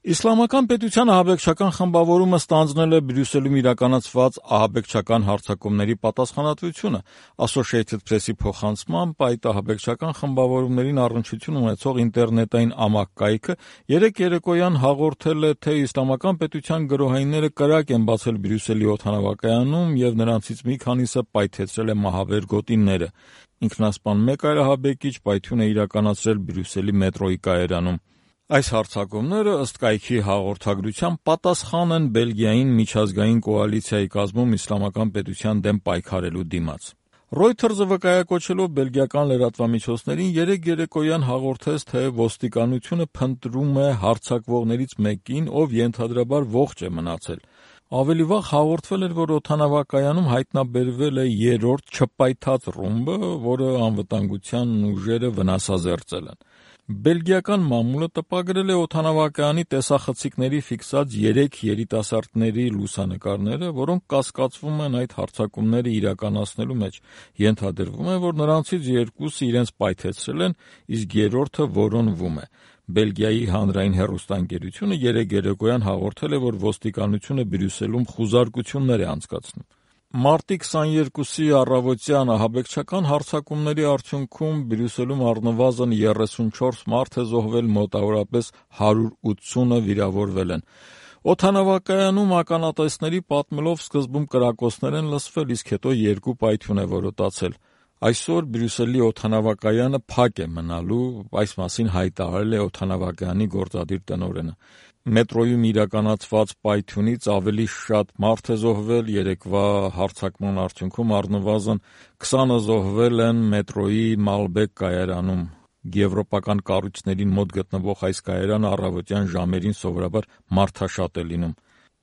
Իսլամական պետության ահաբեկչական խմբավորումը ստանձնել է Բրյուսելում իրականացված ահաբեկչական հարձակումների պատասխանատվությունը։ Associated Press-ի փոխանցմամբ այդ ահաբեկչական խմբավորումներին առնչություն ունեցող ինտերնետային ամակկայքը երեկ երեկոյան հաղորդել է, թե Իսլամական պետության գրոհայինները կրակ են բացել Բրյուսելի օդանավակայանում և նրանցից մի քանիսը պայթեցրել է մահաբեր գոտիները։ Ինքնասպան մեկ այլ ահաբեկիչ պայթյուն է իրականացրել Բրյուսելի մետրոյի կայարանում։ Այս հարձակումները, ըստ կայքի հաղորդագրության, պատասխան են Բելգիային միջազգային կոալիցիայի կազմում Իսլամական պետության դեմ պայքարելու դիմաց։ Reuters-ը վկայակոչելով բելգիական լրատվամիջոցներին երեկ երեկոյան հաղորդեց, թե ոստիկանությունը փնտրում է հարձակվողներից մեկին, ով ենթադրաբար ողջ է մնացել։ Ավելի վաղ հաղորդվել էր, որ օդանավակայանում հայտնաբերվել է երրորդ չպայթած ռումբը, որը անվտանգության ուժերը վնասազերծել են։ Բելգիական մամուլը տպագրել է օդանավակայանի տեսախցիկների ֆիքսած 3 երիտասարդների լուսանկարները, որոնք կասկածվում են այդ հարձակումները իրականացնելու մեջ։ Ենթադրվում է, որ նրանցից 2-ը իրենց պայթեցրել են, իսկ երրորդը որոնվում է։ Բելգիայի հանրային հեռուստաընկերությունը երեկ երեկոյան հաղորդել է, որ ոստիկանությունը Բրյուսելում խուզարկություններ է անցկացնում։ Մարտի 22-ի առավոտյան ահաբեկչական հարձակումների արդյունքում Բրյուսելում առնվազն 34 մարդ է զոհվել, մոտավորապես 180-ը վիրավորվել են։ Օդանավակայանում ականատեսների պատմելով սկզբում կրակոցներ են լսվել, իսկ հետո 2 պայթյուն է որոտացել։ Այսօր Բրյուսելի օդանավակայանը փակ է մնալու, այս մասին հայտարարել է օդանավակայանի գործադիր տնօրենը։ Մետրոյում իրականացված պայթյունից ավելի շատ մարդ է զոհվել, երեկվա հարձակման արդյունքում առնվազն 20-ը զոհվել են մետրոյի Մալբեկ կայարանում։ Եվրոպական կառույցներին մոտ գտնվող այս կայարանը առավոտյան ժամերին սովորաբար մարդաշատ է լինում։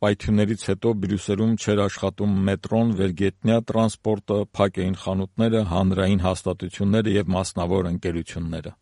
Պայթյուններից հետո Բրյուսելում չէր աշխատում մետրոն, վերգետնյա տրանսպորտը, փակ էին խանութները, հանրային հաստատությունները և մասնավոր ընկերությունները։